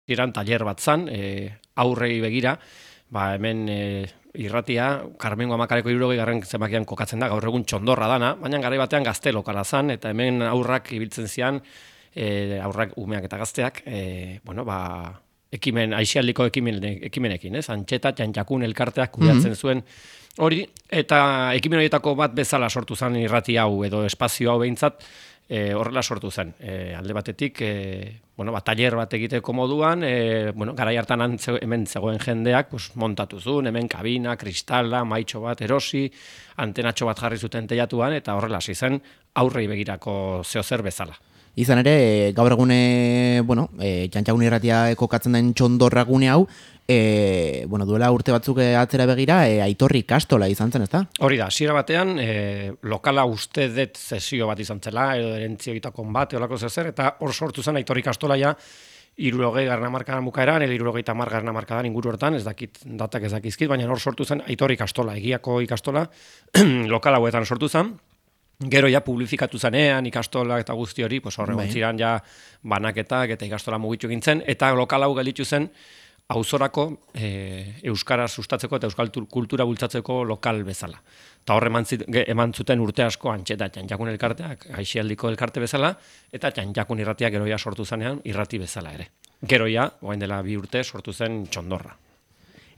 iran taller bat zan, aurrei begira, hemen irratia, Karmengo Amakareko 60. zenbakian kokatzen da, gaur egun txondorra dana, baina garai batean gazte lokala zan, eta hemen aurrak ibiltzen zian, aurrak umeak eta gazteak, aixialdiko ekimenekin, Antxeta, Txantxakun elkarteak kudeatzen zuen hori, eta ekimen horietako bat bezala sortu zen irrati hau edo espazio hau behintzat, horrela sortu zen. Alde batetik, taller bat egiteko moduan, garai hartan hemen zegoen jendeak montatu zuen, hemen kabina, kristala, maitxo bat erosi, antenatxo bat jarri zuten teilatuan, eta horrela hasi zen aurrei begirako zeozer bezala. Izan ere, gaur egune, Txantxakun irratia kokatzen den txondorra gune hau, duela urte batzuk atzera begira, Aitorri ikastola izan zen, ezta? Hori da, hasiera batean, lokala uste dut zesio bat izan zela, edo erentzio egitakon bat, eolako zezer, eta hor sortu zen Aitorri ikastola ja, 60. hamarkadan bukaeran, 70. hamarkadan inguru hortan, ez dakit, datak ez dakizkit, baina hor sortu zen Aitorri ikastola, egiako ikastola, lokal hauetan sortu zen. Gero ja publifikatu zanean ikastola eta guzti hori, horregon ziren ja banaketak eta ikastola mugitu gintzen, eta lokal hau gelditu zen auzorako euskara sustatzeko eta euskal kultura bultzatzeko lokal bezala. Eta horre eman zuten urte asko Antxeta Txantxakun elkarteak, aixialdiko elkarte bezala, eta Txantxakun irratia gero ja sortu zanean irrati bezala ere. Gero ja, orain dela 2 urte sortu zen txondorra.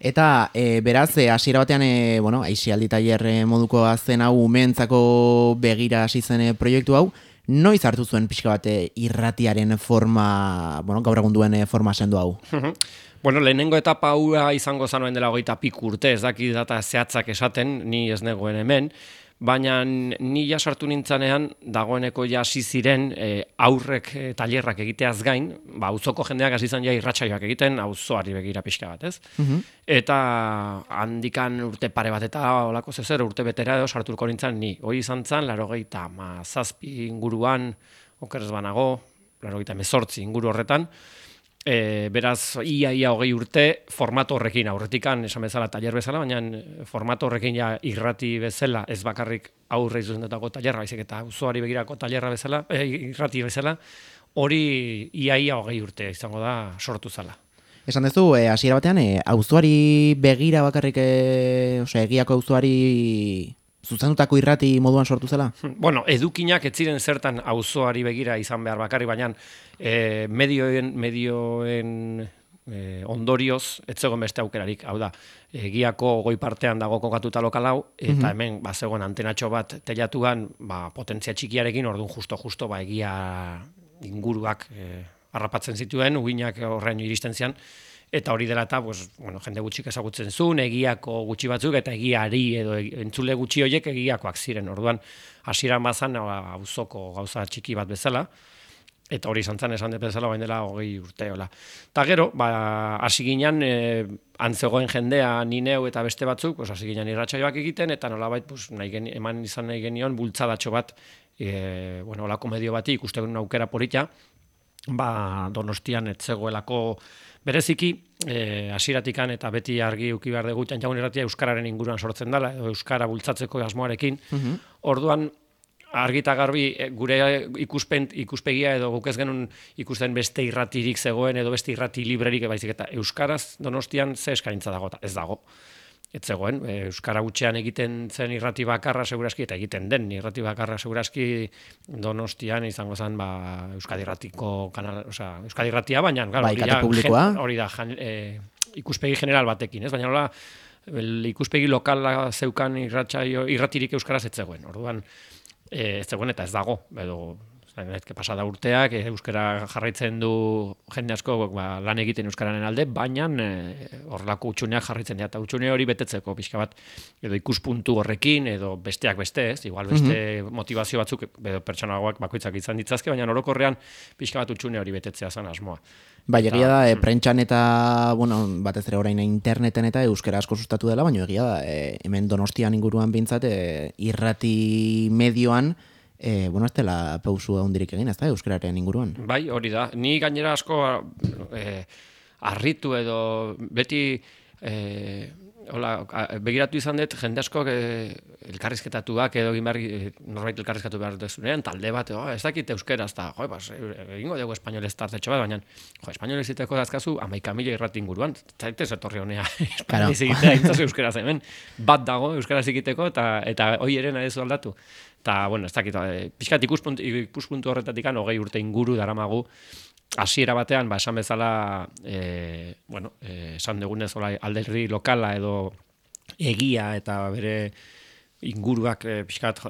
Eta beraz, hasiera batean, aixialdi tailer moduko zen hau umeentzako begira hasi zen proiektu hau, noiz hartu zuen pixka bat irratiaren forma, gaur egun duen forma sendu hau? Lehenengo etapa hau izango zanoen dela 20 urte, ez daki data zehatzak esaten, ni ez negoen hemen, baina ni ja sartu nintzanean dagoeneko ja hasi ziren aurrek tailerrak egiteaz gain, auzoko jendeak hasi izan ja irratsaioak egiten, auzoari begira pixka bat, ez? Eta handikan urte pare bat eta olako zezer urte betera edo sartuko nintzen ni. Hori izan zen 97 inguruan, okerez banago, 98 inguru horretan. Beraz, ia 20 urte formato horrekin aurretikan, esan bezala tailer bezala, baina formato horrekin ja irrati bezala, ez bakarrik aurre izuzendetako tailerra, baizik eta auzoari begirako tailerra bezala, irrati bezala, hori ia 20 urte izango da sortu zala. Esan duzu, hasiera batean, auzoari begira bakarrik, egiako auzoari zuzendutako irrati moduan sortu zela? Edukinak ez ziren zertan auzoari begira izan behar bakarri, baina medioen ondorioz ez zegoen beste aukerarik. Hau da, egiako goi partean dago kokatuta lokal hau, eta hemen zegoen antenatxo bat teilatuan potentzia txikiarekin, orduan justo egia inguruak harrapatzen zituen, uginak horrein iristen zian, eta hori dela eta, jende gutxik ezagutzen zuen, egiako gutxi batzuk, eta egiari edo entzule gutxi horiek egiakoak ziren. Orduan, hasieran bazan auzoko gauza txiki bat bezala, eta hori izan zen esan bezala bain dela 20 urte. Eta gero, hasi ginen, antzegoen jendea, ni neu eta beste batzuk, hasi ginen irratsaioak egiten, eta nolabait eman izan nahi genion bultzadatxo bat, olako medio bati ikusten aukera polita, Donostian ez zegoelako bereziki, hasieratikan eta beti argi uki behar dugu Txantxakun irratia euskararen inguruan sortzen dela, edo euskara bultzatzeko asmoarekin. Orduan, argi eta garbi gure ikuspegia edo guk ez genuen ikusten beste irratirik zegoen edo beste irrati librerik baizik eta euskaraz Donostian ze eskaintza dago, ez dago. Ez zegoen, euskara gutxean egiten zen irrati bakarra seguraski, eta egiten den irrati bakarra seguraski Donostian izango zen Euskadi Irratiko kanal, Euskadi Irratia, baina hori da ikuspegi general batekin, ez? Baina ikuspegi lokala zeukan irratirik euskaraz ez zegoen. Orduan, ez zegoen eta ez dago, edo pasada urteak, euskara jarraitzen du jende asko lan egiten euskararen alde, baina horrelako utxuneak jarraitzen dira, eta utxune hori betetzeko pixka bat, edo ikuspuntu horrekin, edo besteak beste, ez, igual beste motivazio batzuk, edo pertsonagoak bakoitzak izan ditzazke, baina orokorrean pixka bat utxune hori betetzea zen asmoa. Egia da, prentxan eta, batez ere orain interneten eta euskara asko sustatu dela, baina egia da, hemen Donostian inguruan bintzat, irrati medioan, ez dela pausu handirik egin, ez da, euskararen inguruan. Bai, hori da. Ni gainera asko harritu edo beti Hola, begiratu izan dut, jende askok elkarrizketatuak edo norbait elkarrizkatu behar dezunean, talde bat, ez dakit euskeraz, eta egingo dugu espainolez tartetxo bat, baina espainolez iteko dazkazu 11.000 irrati inguruan, zaitez etorri honea espainolez egitea, intzazu euskeraz hemen, bat dago euskeraz egiteko, eta hoi ere nahi zu aldatu. Eta, ez dakit, pixkat ikuspuntu horretatik 20 urte inguru daramagu, hasiera batean, esan bezala, esan dugunez alderdi lokala edo egia eta bere inguruak pixkat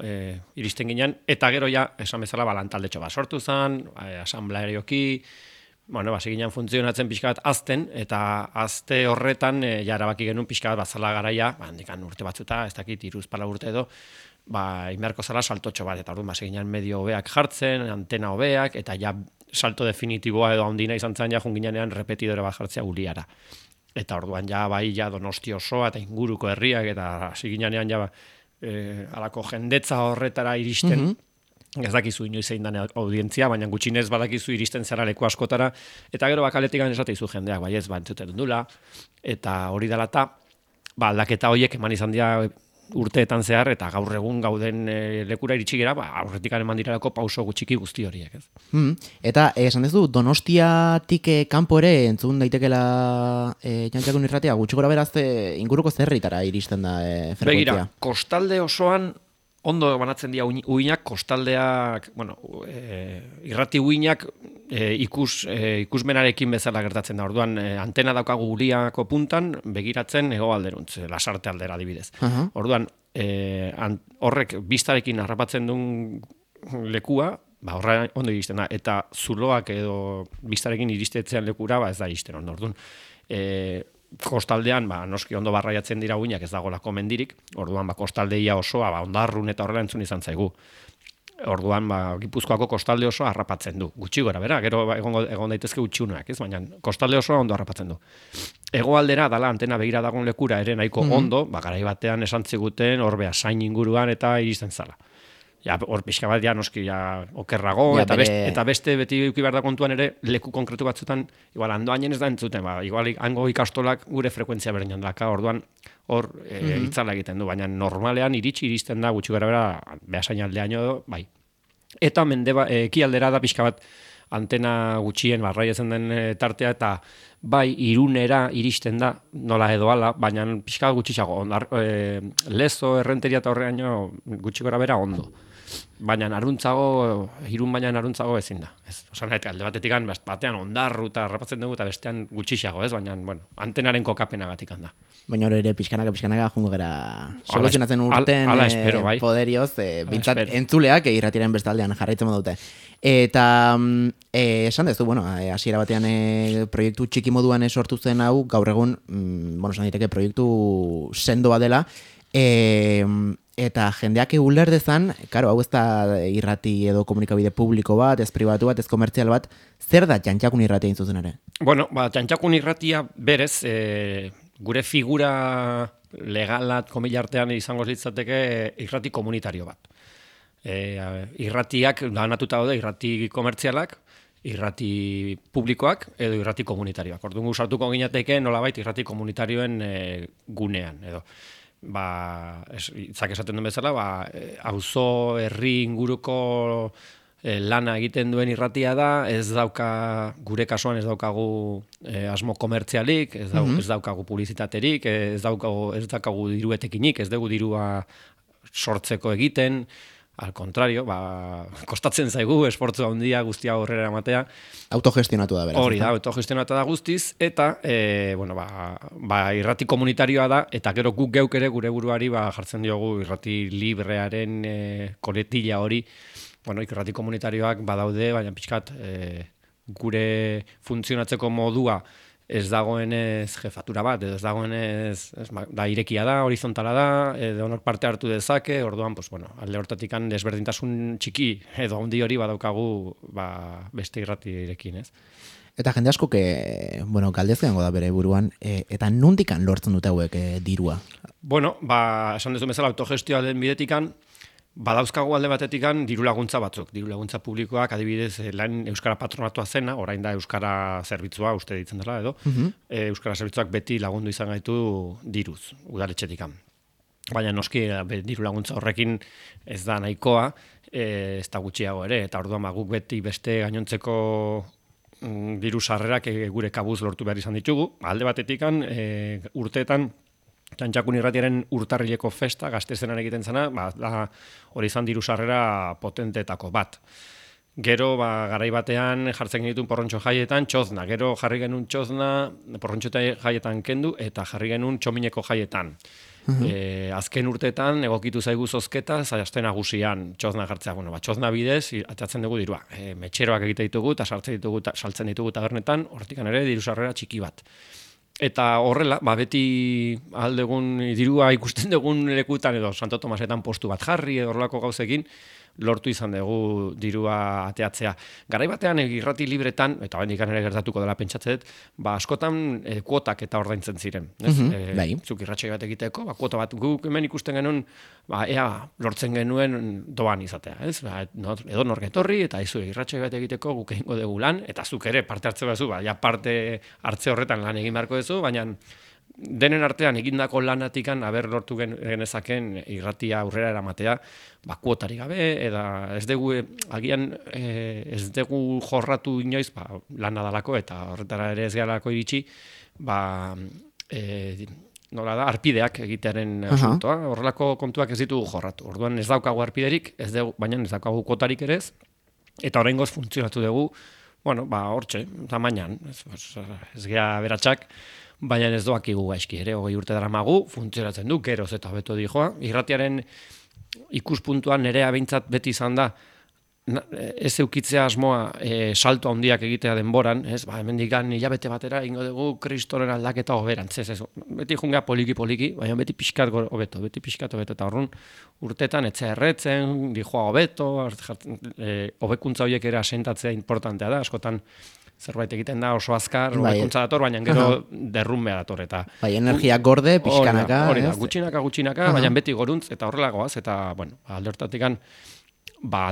iristen ginen, eta gero ja, esan bezala, lantaldetxo bat sortu zen, asamblearioki, hasi ginen funtzionatzen pixkat azten, eta azte horretan, ja erabaki genuen pixkat batzala garaia, handikan urte batzuta, ez dakit, 3-4 urte edo, inberko zala saltotxo bat, eta orduan, hasi ginen medio hobeak jartzen, antena hobeak, eta ja salto definitiboa edo handina izan zen ja junginean repetidore bat jartzea Uliara. Eta orduan ja Donosti osoa eta inguruko herriak eta hasi ginean ja alako jendetza horretara iristen. Ez dakizu inoiz zein dan audientzia, baina gutxinez badakizu iristen zara leku askotara, eta gero bakaletikan esateizu jendeak, ez entzuten dula, eta hori dela eta aldaketa horiek eman izan dira urteetan zehar, eta gaur egun gauden lekura iritsi gera, aurretik eman direlako pauso gutxiki guzti horiek, ez. Eta, esan dezu, Donostiatik kanpo ere entzun daitekela Jantxakun irratia, gutxi gora beraz inguruko zerritara iristen da frekuentzia? Begira, kostalde osoan ondo banatzen dira uinak, kostaldeak, irrati uinak ikusmenarekin bezala gertatzen da. Orduan, antena daukagu Uliako puntan, begiratzen hegoalderuntz, Lasarte aldera adibidez. Orduan, horrek bistarekin harrapatzen duen lekua, horra ondo iristen da, eta zuloak edo bistarekin iristetzean lekura, ez da iristen ondo. Orduan, kostaldean, noski ondo barraiatzen dira uinak, ez dagolako mendirik, orduan, kostaldeia osoa, ondarrun eta horrela entzun izan zaigu. Orduan, Gipuzkoako kostalde osoa harrapatzen du. Gutxi gora, bera, gero egon daitezke gutxiunak, ez? Baina kostalde osoa ondo harrapatzen du. Hegoaldera dala antena begira dagoen lekura ere nahiko ondo, garai batean esan ziguten hor Beasain inguruan eta iristen zala. Ja, hor pixka bat, noski, okerrago, eta beste beti eduki behar da kontuan ere, leku konkretu batzutan, igual, handoainen ez da entzuten, igual, hango ikastolak gure frekuentzia berdinan daka, orduan, hor, itzala egiten du, baina normalean iristen da, gutxi gara bera, Beasain aldeaino edo, bai. Eta ekialdera da pixka bat, antena gutxien barraiatzen den tartea, eta bai, Irunera iristen da, nola edo ala, baina pixka gutxixago, Lezo, Errenteria eta horreaino gutxi gora bera ondo. Baina Irun baina naruntzago ezin da. Osan, alde batetik batean ondarru eta harrapatzen dugu eta bestean gutxixago, ez? Baina, antenaren kokapenagatik da. Baina hori ere pixkanaka jungo gara soluzionatzen urten poderioz, bintzat entzuleak irratiaren bestaldean jarraitzen dute. Eta esan dezu, hasiera batean proiektu txiki moduan sortu zen hau, gaur egun, esan diteke proiektu sendoa dela, eta jendeak uler dezan, karo, hau ez da irrati edo komunikabide publiko bat, ez pribatu bat, ez komertzial bat, zer da Jantxakun irratia intzuzen ere? Jantxakun irratia berez, gure figura legalat komilartean izango litzateke irrati komunitario bat. Irratiak danatuta daude, irrati komertzialak, irrati publikoak edo irrati komunitarioak. Orduan sartuko ginateke nolabait irrati komunitarioen gunean edo. Itzak esaten duen bezala, auzo herri inguruko lana egiten duen irratia da, ez dauka, gure kasuan ez daukagu asmo komertzialik, ez daukagu publizitaterik, ez daukagu diruetekinik, ez dugu dirua sortzeko egiten, al contrario, kostatzen zaigu, esportzu handia guztia horrela ematea. Autogestionatu da, beraz. Hori da, autogestionatu da guztiz, eta, irrati komunitarioa da, eta gero guk geuk ere gure buruari jartzen diogu irrati librearen koletilla hori, irrati komunitarioak badaude, baina pixkat gure funtzionatzeko modua ez dagoenez jefatura bat, edo ez dagoenez da irekia da, horizontala da, edo honor parte hartu dezake, orduan, alde hortatikan desberdintasun txiki edo handi hori badaukagu beste irratirekin, ez? Eta jende asko, galdezkeango da bere buruan, eta nondikan lortzen dute hauek dirua? Esan dezu bezala autogestioa den bidetikan, Badauzkagu alde batetikan diru laguntza batzuk, diru laguntza publikoak adibidez lan Euskara Patronatua zena, orain da Euskara Zerbitzua uste ditzen dela edo, Euskara Zerbitzuak beti lagundu izan gaitu diruz, udaletxetikan. Baina noski diru laguntza horrekin ez da nahikoa, ez da gutxiago ere, eta orduan guk beti beste gainontzeko diru sarrerak gure kabuz lortu behar izan ditugu. Alde batetikan urteetan Txantxakun Irratiaren urtarrileko festa, Gaztezenan egiten zena, hori izan diru sarrera potentetako bat. Gero, garai batean jartzen genituen porrontxo jaietan txozna. Gero jarri genuen txozna porrontxo jaietan kendu eta jarri genuen txomineko jaietan. Azken urteetan egokitu zaigu zozketa zaiazten nagusian txozna jartzea. Txozna bidez atzatzen dugu dirua. Metxeroak egite ditugu eta saltzen ditugu tabernetan, hortikan ere diru sarrera txiki bat. Eta horrela, beti aldegun dirua ikusten dugun lekutan edo Santo Tomasetan postu bat jarri edo horrelako gauzekin, lortu izan dugu dirua ateatzea. Garai batean irrati libretan, eta oraindik ere gertatuko dela pentsatzen dut, askotan kuotak eta ordaintzen ziren. Zuk irratsaio bat egiteko, kuota bat guk hemen ikusten genuen, ea lortzen genuen doan izatea. Edo nork etorri, eta izu irratsaio bat egiteko guk egingo dugu lan, eta zuk ere parte hartze bazu, parte hartze horretan lan egin beharko duzu, baina denen artean egindako lanatikan aber lortu genezaken irratia aurrera eramatea, kuotari gabe, eta ez dugu, agian ez dugu jorratu inoiz, lana dalako, eta horretara ere ez garako iritsi, nola da, arpideak egitearen asuntoa, horrelako kontuak ez ditugu jorratu. Orduan ez daukagu arpiderik, baina ez daukagu kuotarik ere ez, eta oraingoz funtzionatu dugu, hortxe, tamainan, ez gea beratxak, baina ez doakigu gaizki ere, 20 urte daramagu, funtzionatzen du, geroz eta hobeto dijoa. Irratiaren ikuspuntuan nerea behintzat beti izan da, ez eukitzea asmoa salto handiak egitea denboran, hemendikan hilabete batera ingo dugu kristoren aldaketa hoberantz, beti jungea poliki, baina beti pixkat hobeto, eta horren urtetan etzea erretzen, dijoa hobeto, hobekuntza horiek ere asentatzea importantea da, askotan zerbait egiten da oso azkar, hobekuntza dator, baina gero derrumbea dator, eta energia gorde, pixkanaka, hori da, gutxinaka, baina beti goruntz, eta horrelagoaz, eta, alde hortatikan,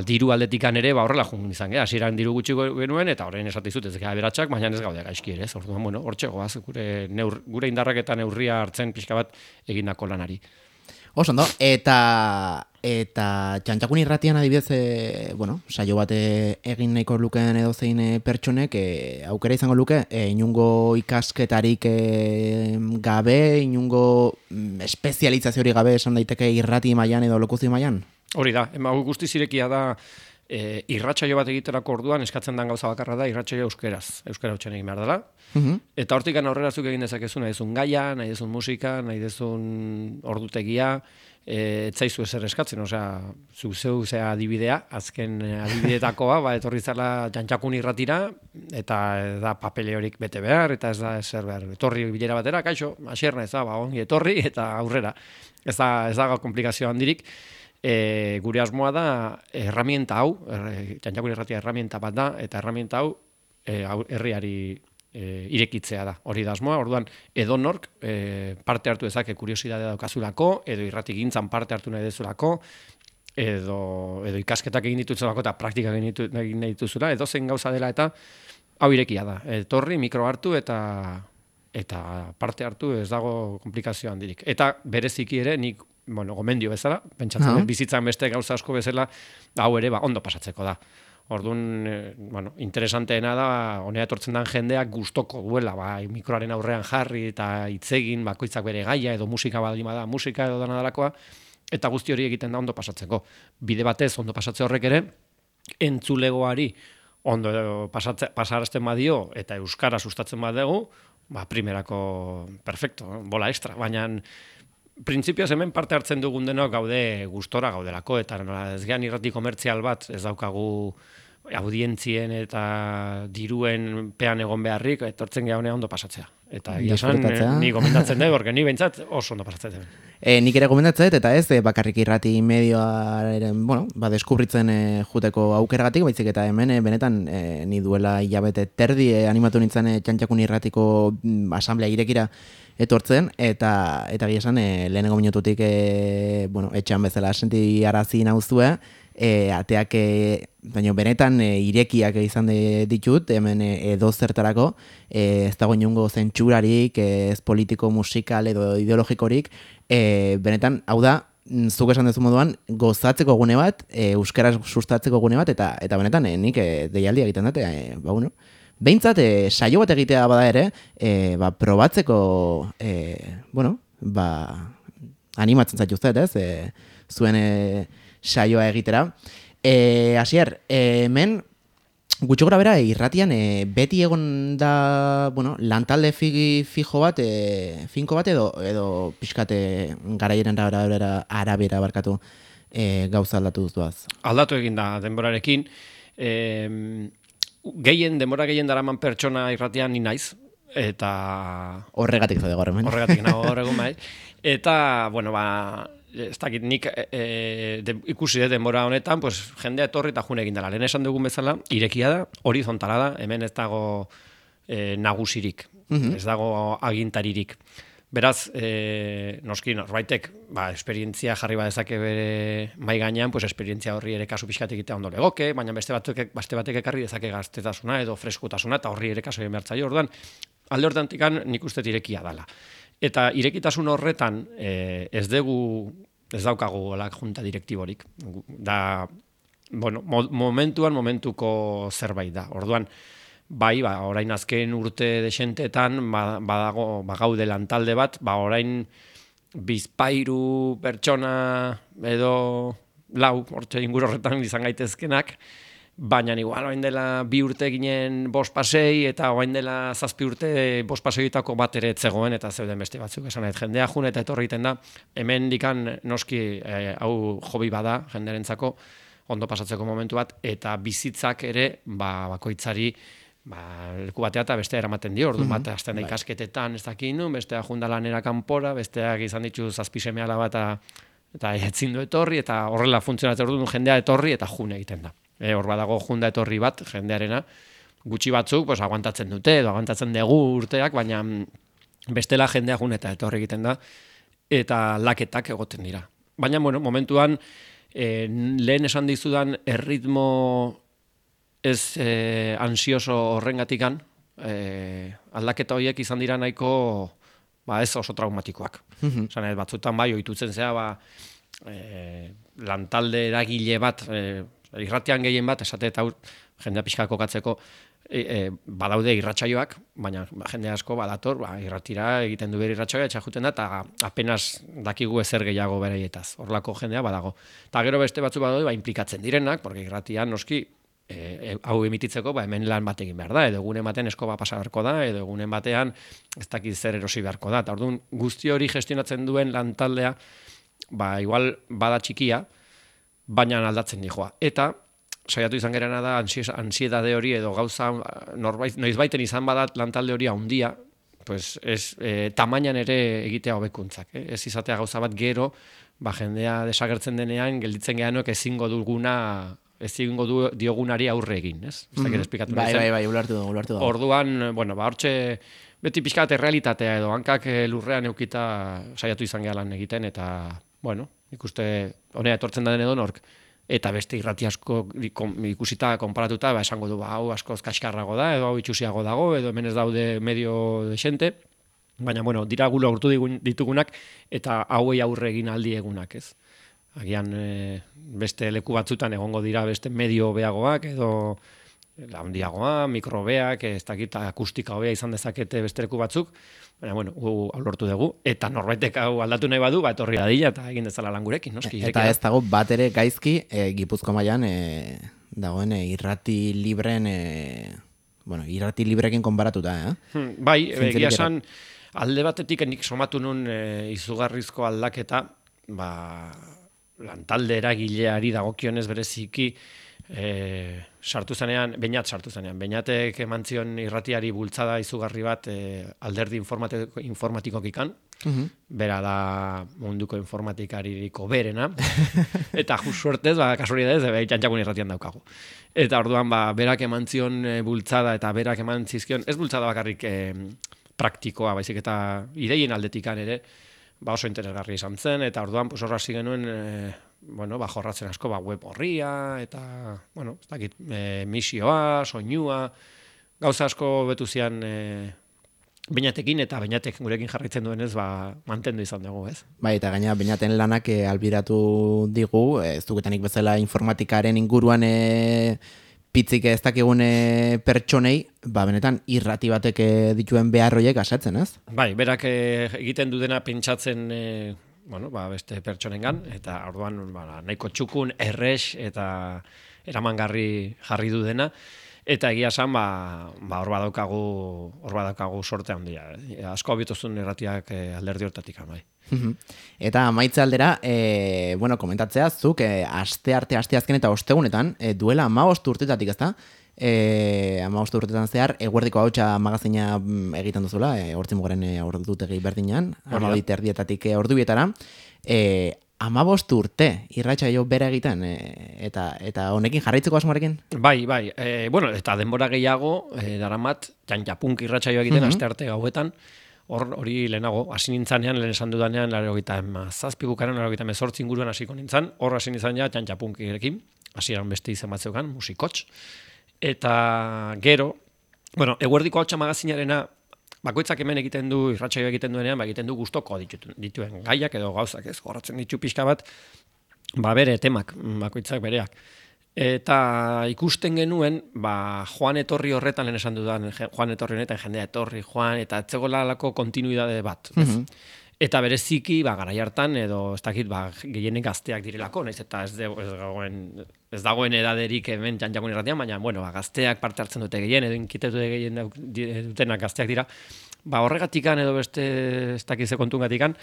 diru aldetikan ere, horrela jungen izan, hasieran diru gutxi genuen, eta horrein esatizut ez gara beratxak, baina ez gaude gaizki ere, orduan, hortxe goaz, gure indarrak eta neurria hartzen pixka bat egindako lanari. Osondo, eta Txantxakun Irratian adibidez, saio bat egin nahiko lukeen edozein pertsonek, aukera izango luke, inungo ikasketarik gabe, inungo espezializaziorik gabe esan daiteke irrati mailan edo lokuzio mailan? Hori da, guzti zirekia da, irratsaio bat egiterako orduan eskatzen den gauza bakarra da irratsaio euskara hutsen egin behar dela. Eta hortikan aurrera zuk egin dezakezu, nahi dezun gaia, nahi dezun musika, nahi dezun ordutegia, etzaizu ezer eskatzen, zuk zeu zea adibidea, azken adibidetakoa, etorri zela Txantxakun Irratira, eta da papele horik bete behar, eta ez da ezer behar. Etorri bilera batera, kaixo, asierna ez da, ongi etorri, eta aurrera. Ez da komplikazio handirik. Gure asmoa da herramienta hau, Txantxakun Irratia herramienta bat da, eta herramienta hau herriari irekitzea da. Hori da asmoa, orduan edonork parte hartu dezake kuriosidadea daukazulako, edo irratigintzan parte hartu nahi dezulako, edo ikasketak egin dituzulako eta praktikak egin dituzula, edo zen gauza dela eta hau irekia da. Etorri, mikro hartu eta parte hartu ez dago komplikazio handirik. Eta bereziki ere nik gomendio bezala, pentsatzen bizitzan beste gauza asko bezala, hau ere ondo pasatzeko da. Orduan, interesanteena da, honea etortzen den jendeak gustoko duela, mikroaren aurrean jarri eta hitzegin, bakoitzak bere gaia, edo musika badima da, musika edo dana dalakoa, eta guzti hori egiten da ondo pasatzeko. Bide batez, ondo pasatze horrek ere, entzulegoari ondo pasarazten badio, eta euskara sustatzen badegu, primerako perfecto, bola extra, baina printzipioz hemen parte hartzen dugun denok gaude gustora gaudelako, eta ez gehan irrati komertzial bat ez daukagu audientzien eta diruen pean egon beharrik, etortzen geha ondo pasatzea. Eta egia esan, ni gomendatzen dut, porque ni behintzat oso ondo pasatzen dut. Nik ere gomendatzen dut, eta ez, bakarrik irrati medioaren, deskubritzen juteko aukeragatik, baizik eta hemen, benetan, ni duela hilabete terdi animatu nintzen Txantxakun irratiko asamblea irekira etortzen, eta egia esan, lehenengo minututik, etxean bezala senti arazi nauzue, ateak baina benetan irekiak izan ditut, hemen edo zertarako, ez dago inungo zentsurarik, ez politiko, musikal edo ideologikorik, benetan, hau da, zuk esan dezu moduan, gozatzeko gune bat, euskaraz sustatzeko gune bat, eta benetan, nik deialdia egiten dute, behintzat, saio bat egitea bada ere, probatzeko, animatzen zaituztet, ez? Zuen saioa egitera. Asier, hemen, gutxo gora bera, irratian, beti egon da, lantalde fijo bat, finko bat, edo pixkate garaieren arabera barkatu gauza aldatu duzuaz. Aldatu egin da denborarekin, denbora gehien daraman pertsona irratian ni naiz, eta... Horregatik zade gaur hemen. Horregatik nago horregun bai. Eta, ez dakit, nik ikusi denbora honetan, pues, jendea etorri eta june egin dela. Lehen esan dugun bezala, irekia da, horizontala da, hemen ez dago nagusirik, ez dago agintaririk. Beraz, noski norbaitek, esperientzia jarri badezake bere mai gainean, pues esperientzia horri ere kasu pixkat egitea ondo legoke, baina beste batek ekarri dezake gaztetasuna edo freskutasuna, eta horri ere kasu egin behartzaio. Orduan, alde hortantikan nik uste irekia dela. Eta irekitasun horretan ez daukagu junta direktiborik. Da, momentuko zerbait da. Orduan, orain azken urte desentetan bagaude lantalde bat, orain bizpairu pertsona edo lau, hortxe inguru horretan izan gaitezkenak, baina igual orain dela 2 urte ginen 5 pasei, eta orain dela 7 urte 5 paseitako bat ere etzegoen, eta zeuden beste batzuk esan nahi. Jendea jun eta etorri egiten da, hemen dikan noski hau hobi bada jendearentzako, ondo pasatzeko momentu bat, eta bizitzak ere bakoitzari leku batea eta bestea eramaten dio, ordu bat hasten da ikasketetan ez dakin nun, bestea junda lanera kanpora, besteak izan ditu 7 seme alaba eta etzin du etorri, eta horrela funtzionatzen ordu jendea etorri eta june egiten da. Hor badago junda etorri bat, jendearena, gutxi batzuk aguantatzen dute, edo aguantatzen dugu urteak, baina bestela jendea jun eta etorri egiten da, eta laketak egoten dira. Baina, momentuan, lehen esan dizudan erritmo ez ansioso horrengatikan, aldaketa horiek izan dira nahiko ez oso traumatikoak. Batzutan ohitutzen zea, lantalde eragile bat, irratian gehien bat, esate eta jendea pixka kokatzeko, badaude irratsaioak, baina jende asko badator, irratira egiten du bere irratsaioa, etxajuten da, eta apenas dakigu ezer gehiago beraietaz. Horlako jendea badago. Eta gero beste batzu badaude, implikatzen direnak, porque irratian noski, hau emititzeko, hemen lan bat egin behar da, edo egunen batean eskoba pasa beharko da, edo egunen batean ez dakit zer erosi beharko da. Eta orduan, guzti hori gestionatzen duen lantaldea, igual bada txikia, baina aldatzen dijoa. Eta, saiatu izan gerana da, ansiedade hori edo gauza, noizbaiten izan badat lantalde hori handia, pues tamainan ere egitea hobekuntzak. Ez izatea gauza bat gero, jendea desagertzen denean, gelditzen gehanok ezingo diogunari aurre egin, ez? Bai, ulertu da. Orduan, hortxe, beti pixkat errealitatea edo, hankak lurrean eukita saiatu izan gehalan egiten, eta, ikuste, honea etortzen da den edo nork, eta beste irrati asko ikusita, konparatuta, esango du, hau askoz kaskarrago da, edo hau itxusiago dago, edo hemen ez daude medio desente, baina, dira gu lortu ditugunak, eta hauei aurre egin aldi egunak, ez? Agian, beste leku batzutan egongo dira beste medio beagoak, edo handiagoa, mikrobeak, ez dakit akustika hobea izan dezakete beste leku batzuk, baina, gu lortu dugu, eta norbaitek hau aldatu nahi badu, etorri dadila, eta egin dezala lan gurekin, noski. Eta ez dago bat ere gaizki, Gipuzko mailan dagoen irrati libren, irrati librekin konparatuta, Bai, egia esan, alde batetik nik somatu nun izugarrizko aldaketa, lantalde eragileari dagokionez bereziki, sartu zenean, Beñatek eman zion irratiari bultzada izugarri bat alderdi informatikokikan, bera da munduko informatikariko berena, eta just suertez, kasualidadez, Txantxakun irratian daukagu. Eta orduan, berak eman zion bultzada eta berak eman zizkion, ez bultzada bakarrik praktikoa, baizik eta ideien aldetikan ere, oso interesgarri izan zen, eta orduan horra hasi genuen jorratzen asko web horria, eta, ez dakit, misioa, soinua, gauza asko betu zian Beñatekin, eta Beñatek gurekin jarraitzen duenez, mantendu izan dugu, ez? Bai, eta gaina Beñaten lanak albiratu digu, ez dugetanik bezala informatikaren inguruan pitzik ez dakigun pertsonei, benetan irrati batek dituen beharroiek asatzen, ez? Bai, berak egiten dudena pentsatzen beste pertsonengan, eta orduan nahiko txukun, errex eta eramangarri jarri du dena, eta egia esan hor badaukagu sorte handia. Asko abituzun irratiak alderdi hortatik, bai. Eta amaitze aldera, komentatzea zuk asteazken eta ostegunetan, duela 15 urtetatik, ezta? 15 urtetan zehar, Eguerdiko Ahotsa magazina egiten duzula, Hortzimugaren ordutegi berdinean, 12:30 ordubietara. 15 urte irratsaio bera egiten, eta honekin jarraitzeko asmoarekin? Bai, eta denbora gehiago, daramat, Txantxapunk irratsaio egiten, astearte gauetan, hori lehenago, hasi nintzanean, lehen esan dudanean, 87 bukaran, 88 inguruan hasiko nintzan, hor hasi nintzan ja Txantxapunkirekin, hasieran beste izen bat zeukan, musikotx, eta gero, Eguerdiko Ahotsa magazinarena, bakoitzak hemen egiten du, irratsaio egiten duenean, egiten du gustoko dituen gaiak edo gauzak, ez, jorratzen ditu pixka bat, bere temak, bakoitzak bereak. Eta ikusten genuen, joan etorri horretan, lehen esan dudan, joan etorri honetan, jendea etorri, joan, eta etzegolalako kontinuidade bat, ez? Eta bereziki, garai hartan, edo ez dakit, gehienek gazteak direlako, naiz eta ez dagoen edaderik hemen Txantxakun irratian, baina, gazteak parte hartzen dute gehien, edo inkitetu gehien dutenak gazteak dira, horregatikan edo beste ez dakize kontungatikan,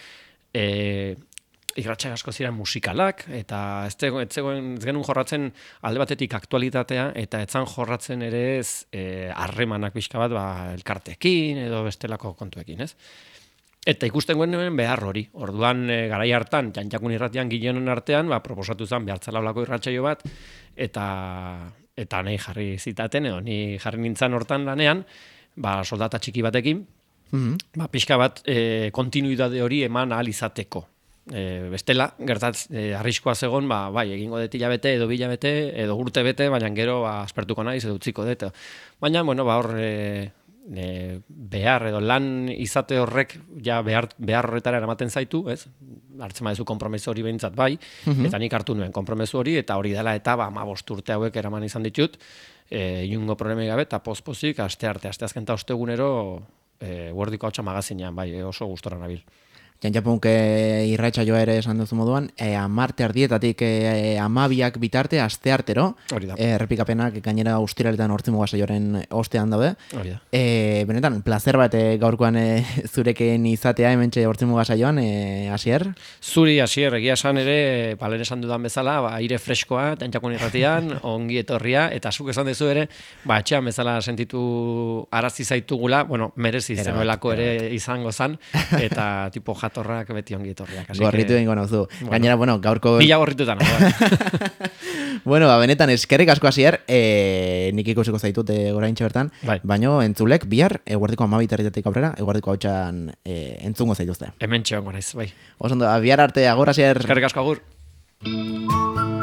irratsaio asko ziren musikalak, eta ez genuen jorratzen alde batetik aktualitatea, eta etzan jorratzen ere ez harremanak pixka bat elkartekin edo bestelako kontuekin, ez? Eta ikusten genuen behar hori. Orduan, garai hartan, Txantxakun irratian gileonen artean, proposatu zen behartzala olako irratsaio bat, eta nahi jarri zitaten, edo ni jarri nintzen hortan lanean, soldata txiki batekin, pixka bat kontinuidade hori eman ahal izateko. Bestela, arriskoa zegon, egingo dut hilabete, edo bilabete, edo urte bete, baina gero aspertuko naiz, edo utziko dut. Baina, hor behar edo lan izate horrek behar horretara eramaten zaitu, ez? Hartzen badezu konpromesu hori behintzat bai, eta nik hartu nuen konpromesu hori, eta hori dela eta 15 urte hauek eraman izan ditut, inungo problemi gabe, eta pozpozik, asteazken eta ostegunero, Eguerdiko Ahotsa magazinean, oso gustora nabil. Txantxapunk irratsaioa ere esan duzu moduan, 10:00 12:00 bitarte, asteartero, errepikapenak gainera ustiraletan Hortzimuga saioaren ostean daude. Benetan, plazer bat gaurkoan zurekin izatea hementxe Hortzimuga saioan, Asier? Zuri, Asier, egia esan ere, lehen esan dudan bezala, aire freskoa, Txantxakun irratian, ongi etorria, eta zuk esan duzu ere, etxean bezala sentitu arazi zaitugula, merezi zenuelako ere izango zan, eta tipo jatorrak beti ongi etorriak. Gorritu egingo nauzu. Gainera, gaurko... Mila gorritutan. Benetan, eskerrik asko Asier, nik ikusiko zaitut oraintxe bertan, baino entzulek, bihar, Eguerdiko 12:30 aurrera, Eguerdiko Ahotsan entzungo zaituzte. Hemen txeongo naiz, bai. Osondo, bihar arte, agur Asier. Eskerrik asko, agur.